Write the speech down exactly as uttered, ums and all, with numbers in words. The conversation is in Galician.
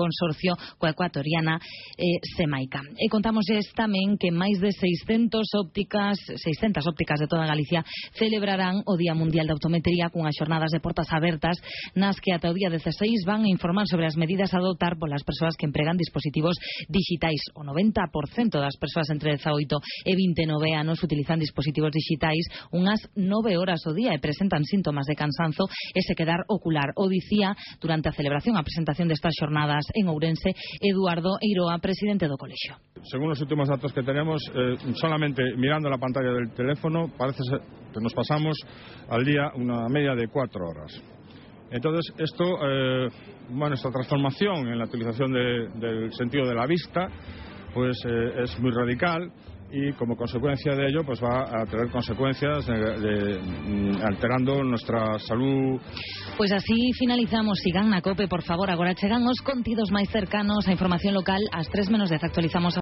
consorcio coa ecuatoriana eh, Semaica. E contámoslles tamén que máis de seiscentas ópticas, seiscentas ópticas de toda Galicia celebrarán o Día Mundial de Optometría cunhas xornadas de portas abertas nas que ata o día dezaseis van a informar sobre as medidas a adoptar polas persoas que empregan dispositivos digitais. O noventa por cento das persoas entre dezaoito e vinte e nove anos utilizan dispositivos digitais unhas nove horas ao día e presentan síntomas de cansanzo e sequedar ocular. O dicía durante a celebración a presentación destas xornadas en Ourense Eduardo Eiroa, presidente do colexio. Según los últimos datos que tenemos, eh, solamente mirando la pantalla del teléfono parece ser que nos pasamos al día una media de cuatro horas. Entonces esto, eh, bueno, esta transformación en la utilización de, del sentido de la vista pues eh, es muy radical. Y como consecuencia de ello pues va a tener consecuencias de, de, de, alterando nuestra salud. Pois así finalizamos. Sigan na COPE, por favor. Agora chegan os contidos máis cercanos a información local. Ás tres menos dez actualizamos a